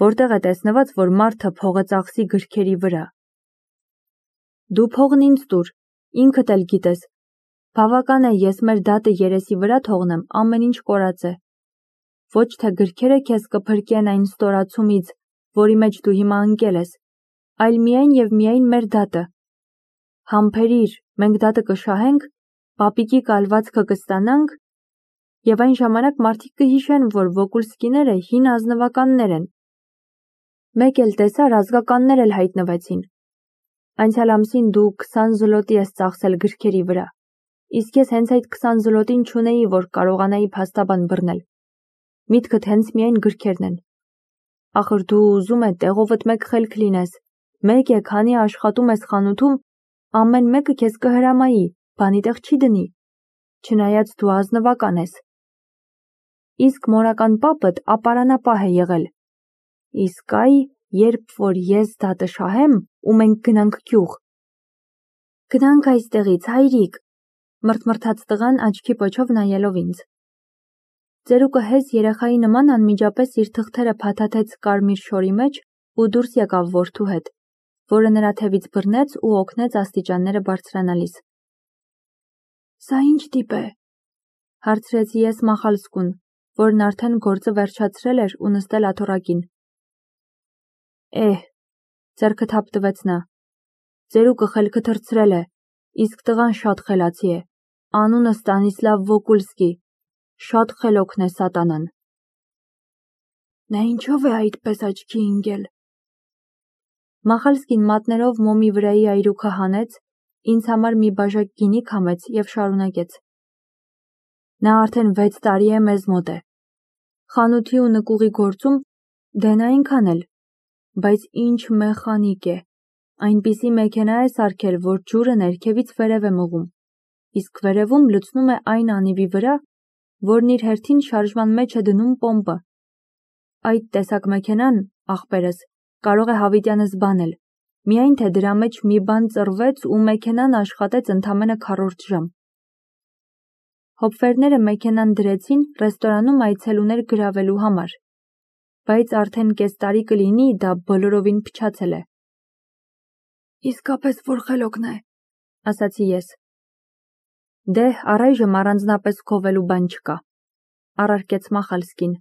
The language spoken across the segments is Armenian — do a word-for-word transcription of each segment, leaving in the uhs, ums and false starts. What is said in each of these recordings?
որտեղ է տեսնված, որ մարդը փողը ծախսի գրքերի վրա։ Դու փողն ինձ տուր, ինքդ էլ գիտես, բավական է ես մեր դատը երեսի վրա թողնեմ, ամեն ինչ կորած է։ Ոչ թե գրքերը քեզ կփրկեն այն ստորացումից, որի մեջ դու հիմա ընկել ես, այլ միայն և միայն մեր դատը։ Համբերիր, մենք դատը կշահենք, պապիկի կալվածքը կստանանք, և այն ժամանակ մարդիկ կհիշեն, որ Վոկուլսկիները հին ազնվականներ են։ Մեկ էլ տեսար, ազգականներ էլ հայտնվեցին։ Անցյալ ամսին դու քսան զլոտի ես ծախսել գրքերի վրա, իսկ ես հենց այդ քսան զլոտին չունեի, որ կարողանայի փաստաբան բռնել։ Միտքդ հենց միայն գրքերն են։ Ախր դու ուզում է տեղովդ մեկ խելք լինես, մեկ է, քանի աշխատում ես խանութում, ամեն մեկը քեզ կհրամայի, բանի տեղ չի դնի, չնայած դու ազնվական ես։ Իսկ մորական պապդ ապարանապահ է եղել։ Իսկ այ, երբ որ ես դատը շահեմ, ու մենք գնանք գյուղ։ Գնանք այստեղից, հայրիկ, մրթմրթաց տղան աչքի պոչով նայելով ինձ։ Ծերուկը հեզ երեխայի նման անմիջապես իր թղթերը փաթաթեց կարմիր շորի մեջ ու դուրս եկավ որդու հետ, որը նրա թևից բռնեց ու օգնեց աստիճանները բարձրանալիս։ Սա ինչ տիպ է, հարցրեցի ես Մախալսկուն, որն արդեն գործը վերջացրել էր ու նստել աթոռակին։ Էհ, ձեռքը թափ տվեց նա, ծերուկը խելքը թռցրել է, իսկ տղան շատ խելացի է, անունը Ստանիսլավ Վոկուլսկի, շատ խելոքն է սատանան։ Նա ինչով է այդպես աչքի ընկել։ Մախալսկին մատներով մոմի վրայի այրուքը հանեց, ինձ համար մի բաժակ գինի քամեց և շարունակեց. Նա արդեն վեց տարի է մեզ մոտ է։ Խանութի ու նկուղի գործում դեն այնքան էլ, բայց ինչ մեխանիկ է, այնպիսի մեքենա է սարքել, որ ջուրը ներքևից վերև է մղում, իսկ վերևում լցնում է այն անիվի վրա, որն իր հերթին շարժման մեջ է դնում պոմպը։ Այդ տեսակ մեքենան, ախպերս, կարող է հավիտյանը զբանել, միայն թե դրա մեջ մի բան ծռվեց ու մեքենան աշխատեց ընդամենը քառորդ ժամ։ Հոպվերները մեքենան դրեցին ռեստորանում այցելուներ գրավելու համար, բայց արդեն կես տարի կլինի դա բոլորովին փչացել է։ Իսկապես որ խելոքն է, ասացի ես։ Դե, առայժմ առանձնապես քովելու բան չկա, առարկեց Մախալսկին։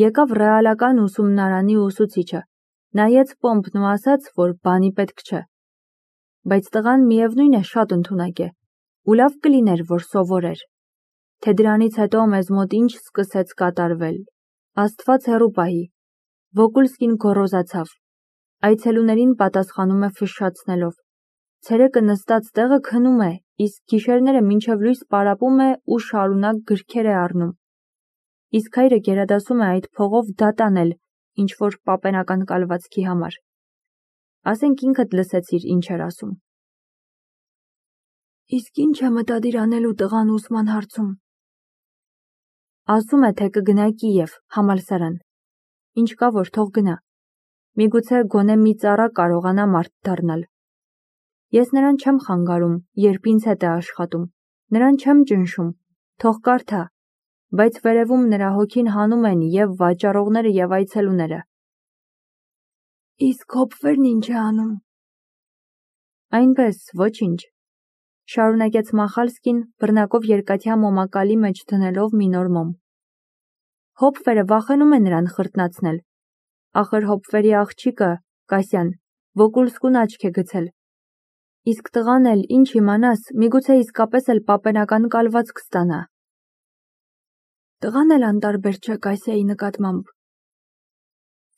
Եկավ ռեալական ուսումնարանի ուսուցիչը, նայեց պոմպն ու ասաց, որ բանի պետք չէ։ Բայց տղան միևնույն է շատ ընդունակ է, ու լավ կլիներ, որ սովորեր։ Թե դրանից հետո մեզ մոտ ինչ սկսեց կատարվել, Աստված հեռու պահի։ Վոկուլսկին գոռոզացավ, այցելուներին պատասխանում է ֆշշացնելով, ցերեկը նստած տեղը քնում է, իսկ գիշերները մինչև լույս պարապում է ու շարունակ գրքեր է առնում։ Իսկ հայրը գերադասում է այդ փողով դատ անել, ինչ որ պապենական կալվածքի համար։ Ասենք ինքդ լսեցիր ինչ էր ասում։ Իսկ ինչ է մտադիր անելու տղան ուսման հարցում։ Ասում է, թե կգնա Կիև, համալսարան։ Ինչ կա, որ թող գնա։ Միգուցե գոնե մի ծառա կարողանա մարդ դառնալ։ Ես նրան չեմ խանգարում, երբ ինձ հետ է աշխատում, նրան չեմ ճնշում, թող կարդա, բայց վերևում նրա հոգին հանում են և վաճառողները և այցելուները։ Իսկ Հոպվերն ինչ է անում։ Այնպես, ոչինչ, շարունակեց Մախալսկին, բռնակով երկաթյա մոմակալի մեջ դնելով մի նոր մոմ։ Հոպվերը վախենում է նրան խրտնացնել։ Ախր Հոպվերի աղջիկը, Կասյան, Վոկուլսկուն աչք է գցել։ Իսկ տղան էլ, ինչ իմանաս, միգուցե իսկապես էլ պապենական կալվածք ստանա։ Տղան էլ անտարբեր չէ Կասյայի նկատմամբ։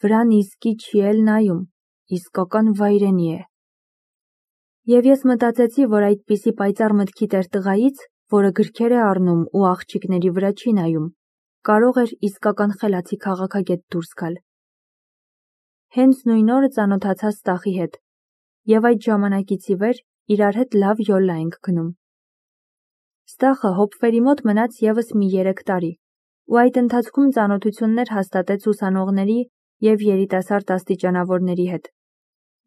Վրան իսկի չի էլ նայում, իսկական վայրենի է։ Եվ ես մտածեցի, որ այդպիսի պայծառ մտքի տեր տղայից, որը գրքեր է առնում ու աղջիկների վրա չի նայում, կարող էր իսկական խելացի քաղաքագետ դուրս գալ։ Հենց նույն օրը ծանոթացա Ստախի հետ, և այդ ժամանակից ի վեր իրար հետ լավ յոլլա ենք գնում։ Ստախը Հոպվերի մոտ մնաց ևս մի երեք տարի, ու այդ ընթացքում ծանոթություններ հաստատեց ուսանողների և երիտասարդ աստիճանավորների հետ,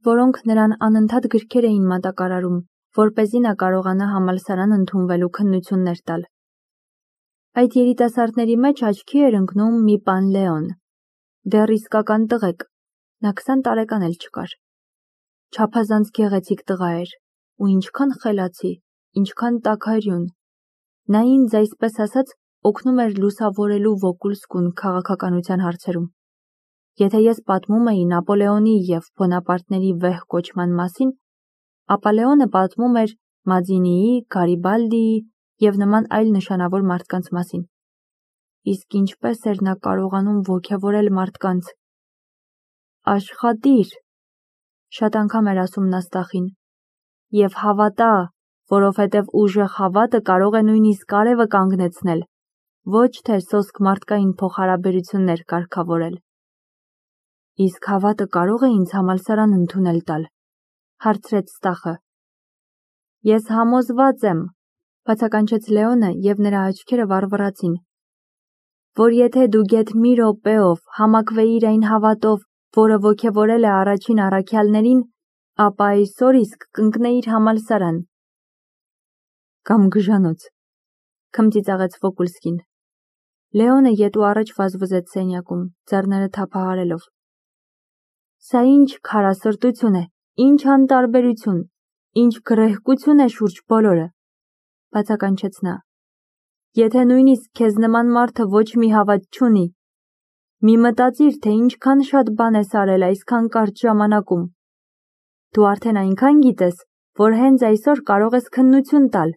որոնք նրան անընդհատ գրքեր էին մատակարարում, որպեսզի նա կարողանա համալսարան ընդունվելու քննություններ տալ։ Այդ երիտասարդների մեջ աչքի էր ընկնում մի պան Լեոն, Դեռ իսկական տղեկ, նա քսան տարեկան էլ չկար։ Չափազանց գեղեցիկ տղա էր, ու ինչքան խելացի, ինչքան տաքարյուն։ Նա ինձ այսպես ասած օգնում էր լուսավորելու Վոկուլսկուն քաղաքականության հարցերում։ Եթե ես պատմում էի Նապոլեոնի և Բոնապարտների վեհ կոչման մասին, ապա Լեոնը պատմում էր Մազինիի, Գարիբալդիի և նման այլ նշանավոր մարդկանց մասին։ Իսկ ինչպես էր նա կարողանում ոգևորել մարդկանց։ Աշխատիր, շատ անգամ էր ասում նա Ստախին, և հավատա, որովհետև ուժեղ հավատը կարող է նույնիսկ արևը կանգնեցնել, ոչ թե սոսկ մարդկային փոխհարաբերություններ կարգավորել։ Իսկ հավատը կարող է ինձ համալսարան ընդունել տալ, հարցրեց Ստախը։ Ես համոզված եմ, բացականչեց Լեոնը և նրա աչքերը վառվռացին, որ եթե դու գեթ մի րոպեով համակվեիր այն հավատով, որը ոգևորել է առաջին առաքյալներին, ապա այսօր իսկ կընկնեիր համալսարան։ Կամ գժանոց, քմծիծաղեց Վոկուլսկին։ Լեոնը ետու առաջ վազվզեց սենյակում, ձեռները թափահարելով։ Սա ինչ քարասրտություն է, ինչ անտարբերություն, ինչ գռեհկություն է շուրջ բոլորը, բացականչեց նա։ Եթե նույնիսկ քեզ նման մարդը ոչ մի հավատ չունի, մի մտածիր, թե ինչքան շատ բան ես արել այսքան կարճ ժամանակում։ Դու արդեն այնքան գիտես, որ հենց այսօր կարող ես քննություն տալ։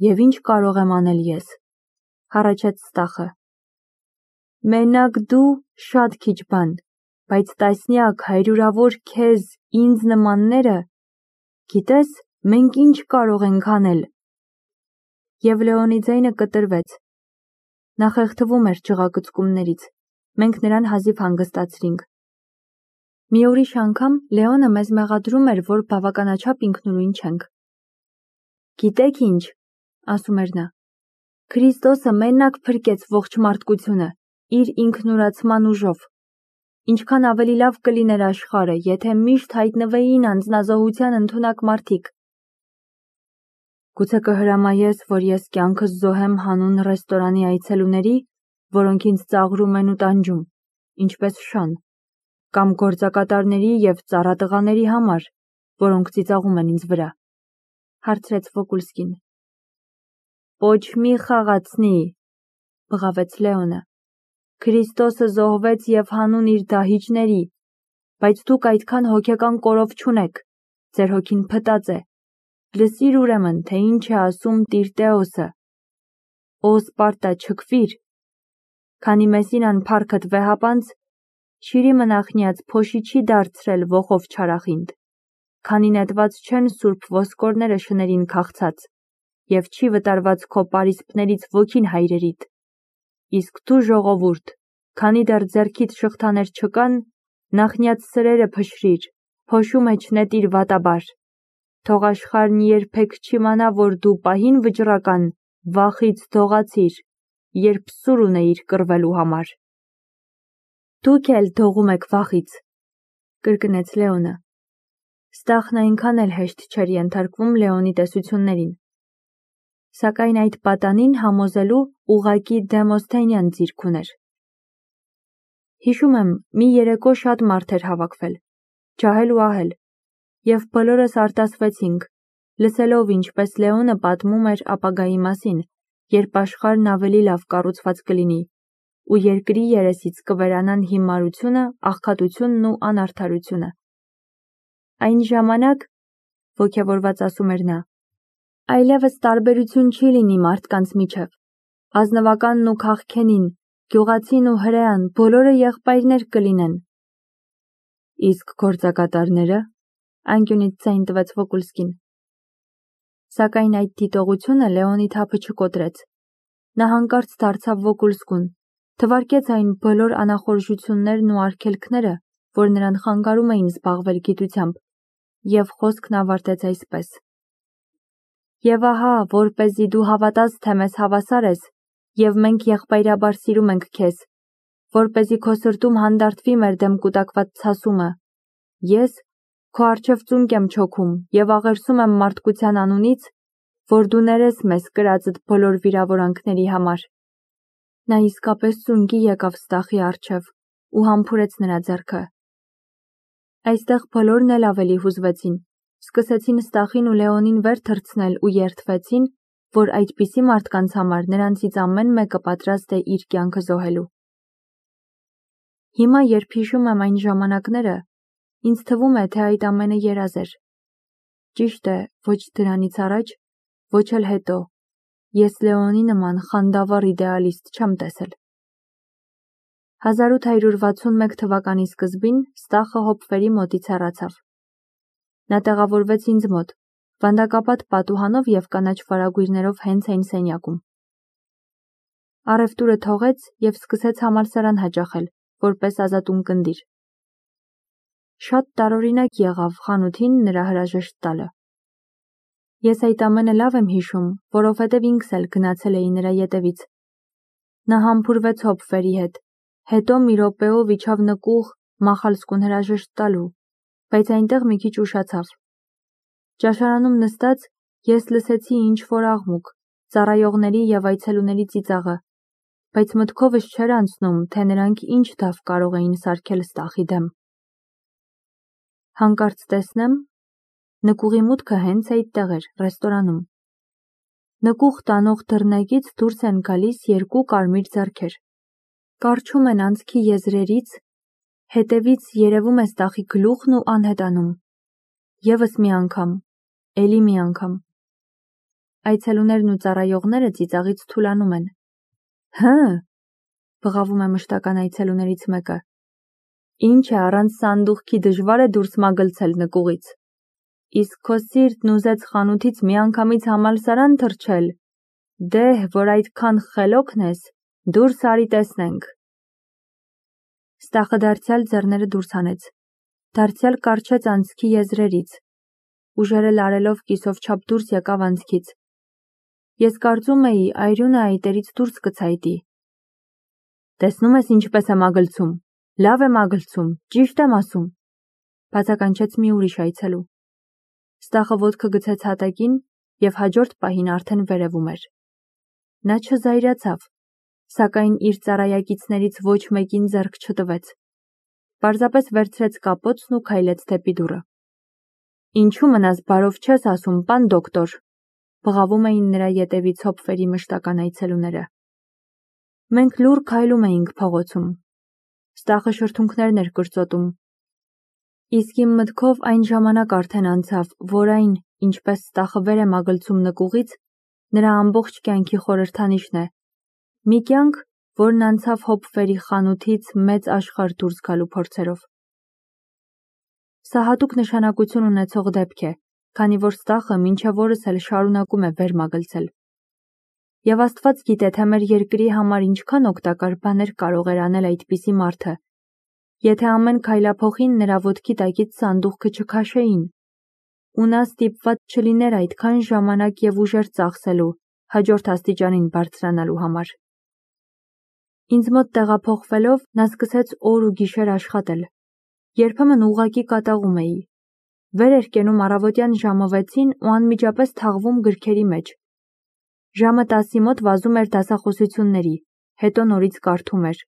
Եվ ինչ կարող եմ անել ես, հառաչեց Ստախը։ Մենակ դու շատ քիչ բան, բայց տասնյակ, հարյուրավոր քեզ, ինձ նմանները, գիտես, մենք ինչ կարող ենք անել։ Եվ Լեոնի ձայնը կտրվեց։ Նա խեղդվում էր ջղակծկումներից, մենք նրան հազիվ հանգստացրինք։ Մի ուրիշ անգամ Լեոնը մեզ մեղադրում էր, որ բավականաչափ ինքնուրույն չենք։ Գիտեք ինչ, ասում էր նա, Քրիստոսը մենակ փրկեց ողջ մարդկությունը իր ինքնուրացման ուժով։ Ինչքան ավելի լավ կլիներ աշխարհը, եթե միշտ հայտնվեին անձնազոհության ընդունակ մարդիկ։ Գուցե կհրամայես, որ ես կյանքս զոհեմ հանուն ռեստորանի այցելուների, որոնք ինձ ծաղրում են ու տանջում, ինչպես Շան, կամ գործակատարների և ծառատղաների համար, որոնք ծիծաղում են ինձ վրա, հարցրեց Վոկուլսկին։ Ոչ մի խաղացնի, բղավեց Լեոնը։ Քրիստոսը զոհվեց և հանուն իր դահիճների, բայց դուք այդքան հոգեկան կորով չունեք, ձեր հոգին փտած է։ Լսիր ուրեմն, թե ինչ է ասում Տիրտեոսը։ Օ Սպարտա, չքվիր, քանի Մեսինան փառքդ վեհապանց, Շիրիմը նախնիած փոշի չի դարձրել ոխով չարախինդ, քանի նետված չեն սուրբ ոսկորները շներին քաղցած, և չի վտարված քո պարիսպներից ոգին հայրերիդ։ Իսկ դու ժողովուրդ, քանի դեռ ձեռքիդ շղթաներ չկան, նախնյաց սրերը փշրիր, փոշու մեջ նետիր վատաբար։ Թող աշխարհն երբեք չիմանա, որ դու պահին վճռական վախից դողացիր, երբ սուր ունեիր կռվելու համար։ Դուք էլ դողում եք վախից, կրկնեց Լեոնը։ Ստախն այնքան էլ հեշտ չէր ենթարկվում Լեոնի տեսություններին։ Սակայն այդ պատանին համոզելու ուղղակի Դեմոսթենյան ձիրք ուներ։ Հիշում եմ, մի երեկո շատ մարդ էր հավաքվել, ջահել ու ահել, և բոլորս արտասվեցինք, լսելով ինչպես Լեոնը պատմում էր ապագայի մասին, երբ աշխարհն ավելի լավ կառուցված կլինի, ու երկրի երեսից կվերանան հիմարությունը, աղքատությունն ու անարդարությունը։ Այն ժամանակ, ոգևորված ասում էր նա, այլևս տարբերություն չի լինի մարդկանց միջև, ազնվականն ու քաղքենին, գյուղացին ու հրեան, բոլորը եղբայրներ կլինեն։ Իսկ գործակատարները, անկյունից ձայն տվեց Վոկուլսկին։ Սակայն այդ դիտողությունը Լեոնի թափը չկոտրեց։ Նա հանկարծ դարձավ Վոկուլսկուն, թվարկեց այն բոլոր անախորժություններն ու արգելքները, որ նրան խանգարում էին զբաղվել գիտությամբ, և խոսքն ավարտեց այսպես. Եվ ահա, որպեսզի դու հավատաս, թե մեզ հավասար ես, և մենք եղբայրաբար սիրում ենք քեզ, որպեսզի քո սրտում հանդարտվի մեր դեմ կուտակված ցասումը, ես քո առջև ծունկ եմ չոքում և աղերսում եմ մարդկության անունից, որ դու ներես մեզ կրածդ բոլոր վիրավորանքների համար։ Նա իսկապես ծունկի եկավ Ստախի առջև ու համբուրեց նրա ձեռքը։ Այստեղ բոլորն էլ ավելի հուզվեցին, սկսեցին Ստախին ու Լեոնին վեր թռցնել ու երդվեցին, որ այդպիսի մարդկանց համար նրանցից ամեն մեկը պատրաստ է իր կյանքը զոհելու։ Հիմա, երբ հիշում եմ այն ժամանակները, ինձ թվում է, թե այդ ամենը երազ էր։ Ճիշտ է, ոչ դրանից առաջ, ոչ էլ հետո, ես Լեոնի նման խանդավառ իդեալիստ չեմ տեսել։ հազար ութ հարյուր վաթսունմեկ թվականի սկզբին Ստախը Հոփվերի մոտից հեռացավ։ Նա տեղավորվեց ինձ մոտ, վանդակապատ պատուհանով և կանաչ վարագույրներով հենց այն սենյակում։ Առևտուրը թողեց և սկսեց համալսարան հաճախել, որպես ազատունկնդիր։ Շատ տարօրինակ եղավ խանութին նրա հրաժեշտ տալը։ Ես այդ ամենը լավ եմ հիշում, որովհետև ինքս էլ գնացել էի նրա ետևից։ Նա համբուրվեց Հոփվերի հետ, հետո մի րոպեով իջավ նկուղ Մախալսկուն հրաժեշտ տալու, բայց այնտեղ մի քիչ ուշացավ։ Ճաշարանում նստած ես լսեցի ինչ-որ աղմուկ, ծառայողների և այցելուների ծիծաղը, բայց մտքովս չէր անցնում, թե նրանք ինչ դավ կարող էին սարքել Ստախի դեմ։ Հանկարծ տեսնեմ, նկուղի մուտքը հենց այդտեղ էր, ռեստորանում։ Նկուղ տանող դռնեկից դուրս են գալիս երկու կարմիր ձեռքեր։ Կառչում են անցքի եզրերից, հետևից երևում է Ստախի գլուխն ու անհետանում։ Եվս մի անգամ, էլի մի անգամ։ Այցելուներն ու ծառայողները ծիծաղից թուլանում են։ Հը, բղավում է մշտական այցելուներից մեկը։ Ինչ է, առանց սանդուղքի դժվար է դուրս մագլցել նկուղից։ Իսկ քո սիրտն ուզեց խանութից միանգամից համալսարան թռչել։ Դեհ, որ այդքան խելոքն ես, դուրս արի տեսնենք։ Ստախը դարձյալ ձեռները դուրս հանեց, դարձյալ կառչեց անցքի եզրերից, ուժերը լարելով կիսով չափ դուրս եկավ անցքից։ Ես կարծում էի, այրունը այտերից դուրս կցայտի։ Տեսնում ես ինչպես է մագլցում, լավ է մագլցում, ճիշտ եմ ասում, բացականչեց մի ուրիշ այցելու։ Ստախը ոտքը գցեց հատակին և հաջորդ պահին արդեն վերևում էր։ Նա չզայրացավ, սակայն իր ծառայակիցներից ոչ մեկին ձեռք չտվեց։ Պարզապես վերցրեց կապոցն ու քայլեց դեպի դուռը։ Ինչու մնաս բարով չես ասում, պան դոկտոր, բղավում էին նրա ետևից Հոփվերի մշտական այցելուները։ Մենք լուռ քայլում էինք փողոցում։ Ստախը շրթունքներն էր կրծոտում։ Իսկ իմ մտքով այն ժամանակ արդեն անցավ, որ այն, ինչպես Ստախը վեր է մագլցում նկուղից, նրա ամբողջ կյանքի խորհրդանիշն է։ Մի կյանք, որն անցավ Հոփվերի խանութից մեծ աշխարհ դուրս գալու փորձերով։ Սա հատուկ նշանակություն ունեցող դեպք է, քանի որ Ստախը մինչև օրս էլ շարունակում է վեր մագլցել։ Եվ Աստված գիտե, թե մեր երկրի համար ինչքան օգտակար բաներ կարող էր անել այդպիսի մարդը, եթե ամեն քայլափոխին նրա ոտքի տակից սանդուղքը չքաշեին, ու նա ստիպված չլիներ այդքան ժամանակ և ուժեր ծախսելու հաջորդ աստիճանին բարձրանալու համար։ Ինձ մոտ տեղափոխվելով նա սկսեց օր ու գիշեր աշխատել։ Երբեմն ուղղակի կատաղում էի։ Վեր էր կենում առավոտյան ժամը վեցին ու անմիջապես թաղվում գրքերի մեջ։ Ժամը տասի մոտ վազում էր դասախոսությունների, հետո նորից կարդում էր։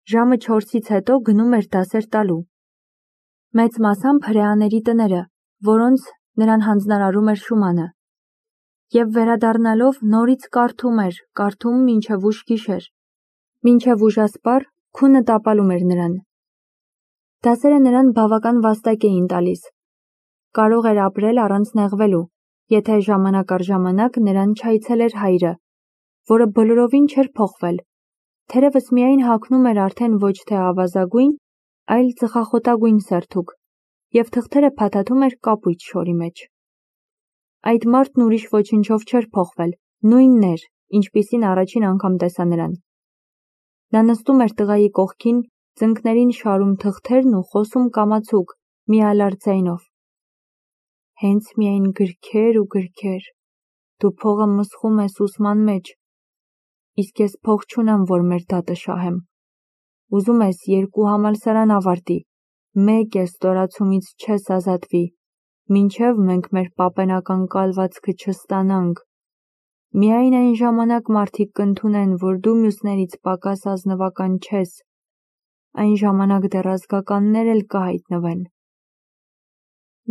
Ժամը չորսից հետո գնում էր դասեր տալու։ Մեծ մասամբ հրեաների տները, որոնց նրան հանձնարարում էր Շումանը։ Եվ վերադառնալով նորից կարդում էր, կարդում մինչև ուշ գիշեր։ Մինչև ուժասպառ քունը տապալում էր նրան։ Դասերը նրան բավական վաստակ էին տալիս։ Կարող էր ապրել առանց նեղվելու, եթե ժամանակ առ ժամանակ նրան չայցելեր հայրը, որը բոլորովին չէր փոխվել, թերևս միայն հագնում էր արդեն ոչ թե ավազագույն, այլ ծխախոտագույն սերթուկ, և թղթերը փաթաթում էր կապույտ շորի մեջ։ Այդ մարդն ուրիշ ոչնչով չէր փոխվել, նույնն էր, ինչպիսին առաջին անգամ տեսա նրան։ Նա նստում էր տղայի կողքին, ծնկներին շարում թղթերն ու խոսում կամացուկ, միալար ձայնով։ Հենց միայն գրքեր ու գրքեր, դու փողը մսխում ես ուսման մեջ, իսկ ես փող չունեմ, որ մեր դատը շահեմ։ Ուզում ես երկու համալսարան ավարտի, մեկ է ստորացումից չես ազատվի, մինչև մենք մեր պապենական կալվածքը չստանանք։ Միայն այն ժամանակ մարդիկ կընդունեն, որ դու մյուսներից պակաս ազնվական չես, այն ժամանակ դեռ ազգականներ էլ կհայտնվեն։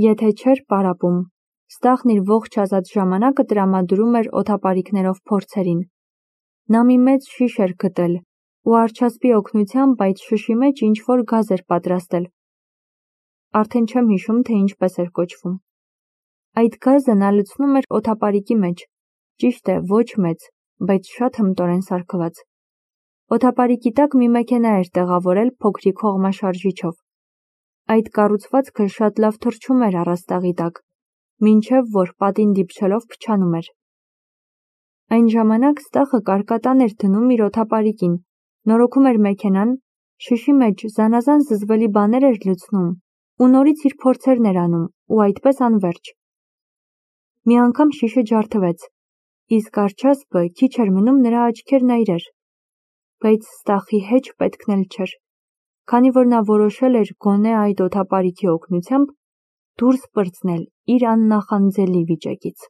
Եթե չէր պարապում, Ստախն իր ողջ ազատ ժամանակը տրամադրում էր օդապարիկներով փորձերին։ Նա մի մեծ շիշ էր գտել ու արջասպի օգնությամբ այդ շշի մեջ ինչ-որ գազ էր պատրաստել։ Արդեն չեմ հիշում, թե ինչպես էր կոչվում։ Այդ գազը նա լցնում էր օդապարիկի մեջ, ճիշտ է, ոչ մեծ, բայց շատ հմտորեն սարքված։ Օդապարիկի տակ մի մեքենա էր տեղավորել փոքրիկ հողմաշարժիչով։ Այդ կառուցվածքը շատ լավ թռչում էր առաստաղի տակ, մինչև որ պատին դիպչելով փչանում էր։ Այն ժամանակ Ստախը կարկատան էր դնում իր օդապարիկին, նորոգում էր մեքենան, շշի մեջ զանազան զզվելի բաներ էր լցնում ու նորից իր փորձերն էր անում ու այդպես անվերջ։ Մի անգամ շիշը ջարդվեց, իսկ արջասպը քիչ էր մնում նրա աչքերն այրեր։ Բայց Ստախի հեչ պետքն էլ չէր, քանի որ նա որոշել էր գոնե այդ օդապարիկի օգնությամբ դուրս պրծնել իր աննախանձելի վիճակից։